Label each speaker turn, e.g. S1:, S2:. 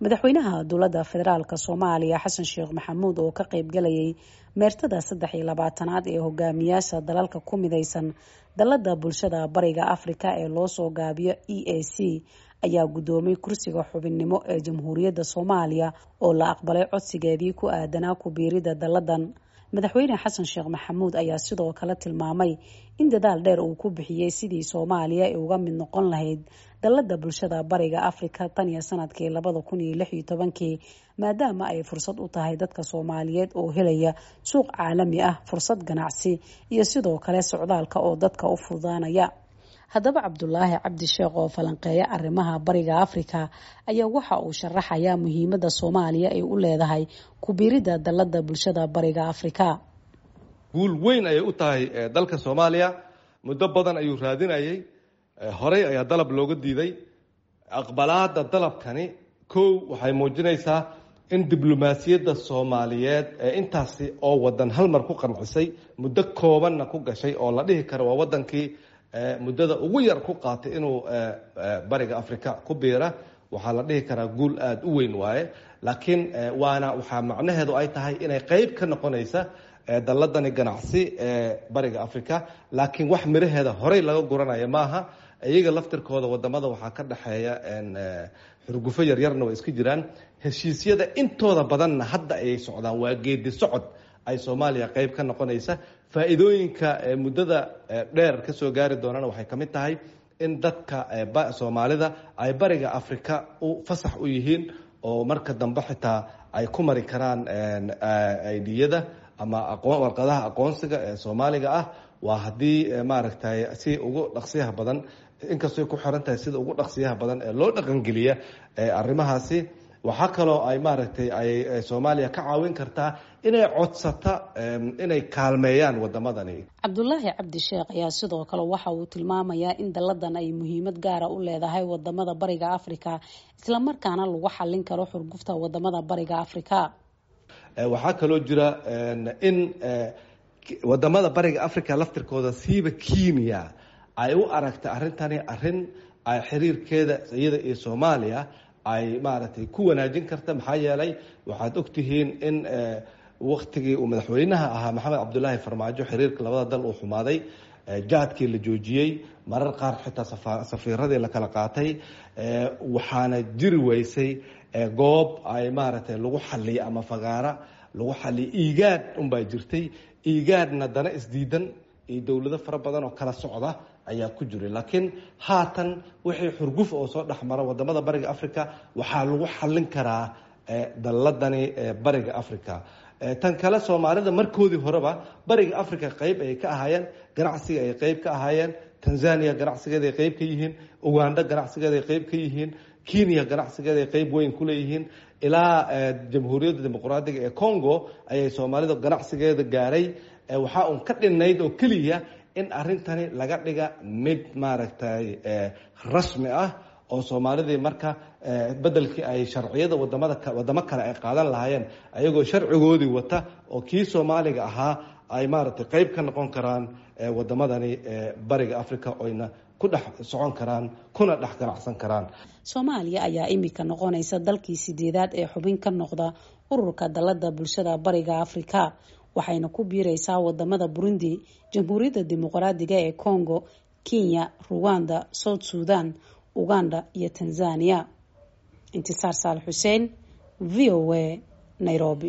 S1: Madaxweynaha dowladda federaalk Soomaaliya Xasan Sheekh Maxamuud oo ka qaybgalayay meertada 23aad ee hogaamiyaasha dalalka ku mideysan dalada bulshada Bariga Afrika ee loosoo gaabiyo EAC ayaa gudoomay kursiga xubinnimo ee Jamhuuriyadda Soomaaliya oo la aqbalay codsigeedii ku aadanaa ku biirida daladan. Madaxweyne Xasan Sheekh Maxamuud ayaa sidoo kale tilmaamay in dadaal dheer uu ku bixiyey sidii Soomaaliya ay uga mid noqon lahayd dalada bulshada Bariga Afrika tan iyo sanadkii 2016kii, maadaama ay fursad u tahay dadka Soomaaliyeed oo helaya suuq caalami ah, fursad ganacsi iyo sidoo kale socdaalka oo dadka u fududaanaya. Haddaba, Cabdulaahi Cabdi Sheekh oo falanqeeya arrimaha Bariga Afrika ayaa waxa uu sharaxayaa muhiimada Soomaaliya ay u leedahay ku biirida dalada bulshada Bariga Afrika.
S2: Guul weyn ayay u tahay dalka Soomaaliya. Muddo badan ayuu raadinayay, horey ayaa dalab looga diiday. Aqbalaada dalabkani kow waxay muujinaysaa in diblomaasiyadda Soomaaliyeed ee intaasi oo wadan hal mar ku qancisay, muddo koobanna ku gashay, oo la dhihi karo waa wadankii muddada ugu yar ku qaatay inuu Bariga Africa ku biira. Waxaa la dhihi karaa guul aada u weyn waaye, laakiin waana waxaa macnaheedu ay tahay inay qeyb ka noqonaysa daladani ganacsi ee Bariga Africa, laakiin wax miraheeda horey laga guranayo maaha. Iyaga laftirkooda wadamada waxaa ka dhexeeya xurgufo yaryarna way iska jiraan. Heshiisyada intooda badanna hadda ayay socdaan. Waa geedi socod ay Soomaaliya qeyb ka noqonaysa. Faa'iidooyinka muddada dheer kasoo gaari doonana waxay ka mid tahay in dadka Soomaalida ay Bariga Africa u fasax u yihiin oo marka dambe xitaa ay ku mari karaan aidiyada ama warqadaha aqoonsiga ee Soomaaliga ah. Waa haddii maaragtay si ugu dhaqsiyaha badan, inkastooy ku xiran tahay sida ugu dhaqsiyaha badan ee loo dhaqangeliya arrimahaasi. Waxaa kaloo ay maaragtay ay Soomaaliya ka caawin kartaa inay codsata inay kaalmeeyaan wadamadani.
S1: Cabdulaahi Cabdi Sheekh ayaa sidoo kale waxa uu tilmaamayaa in daladan ay muhiimad gaara u leedahay wadamada Bariga Afrika, islamarkaana lagu xalin karo xurgufta wadamada Bariga Afrika.
S2: Waxaa kaloo jira in wadamada Bariga Africa laftirkooda, siiba Kenya, ay u aragta arrintani arrin ay xiriirkeeda iyada iyo Soomaaliya ay maaragtay ku wanaajin karta, maxaa yeelay waxaad ogtihiin in waktigii uu madaxweynaha ahaa Maxamed Cabdulaahi Farmaajo xiriirka labada dal uu xumaaday, jaadkii la joojiyey, marar qaar xitaa safiiradii la kala qaatay. Waxaana jiri weysay goob ay maaragtay lagu xaliyo ama fagaara lagu xaliyo. Igaad unbaa jirtay, igaadna dana isdiidan iyo dowlado fara badan oo kala socda ayaa ku jiray. Laakiin haatan wixii xurguf oo soo dhexmara wadamada Bariga Africa waxaa lagu xalin karaa daladani Bariga Africa. Tan kale, Soomaalida markoodii horeba Bariga Africa qeyb ay ka ahaayeen, ganacsiga ay qeyb ka ahaayeen. Tanzania ganacsigeeda ay qeyb ka yihiin, Uganda ganacsigeeda ay qeyb ka yihiin, Kenya ganacsigeeda ay qeyb weyn ku leeyihiin, ilaa Jamhuuriyadda Dimuqraadiga ee Congo ayay Soomaalida ganacsigeeda gaaray. Waxaa uun ka dhinayd oo keliya in arrintani laga dhiga mid maaragtay rasmi ah oo Soomaalidii marka bedelkii ay sharciyada wadamada wadamo kale ay qaadan lahaayeen, ayagoo sharcigoodii wata oo kii Soomaaliga ahaa, ay maaragtay qeyb ka noqon karaan wadamadani Bariga Africa, oyna ku dhex socon karaan kuna dhex ganacsan karaan.
S1: Soomaaliya ayaa imika noqonaysa dalkii sideedaad ee xubin ka noqda ururka dalada bulshada Bariga Afrika, waxayna ku biireysaa wadamada Burundi, Jamhuuriyadda Dimuqraadiga ee Congo, Kenya, Ruwanda, South Sudan, Uganda iyo Tanzania. Intisaar Saal Xuseen, VOA, Nairobi.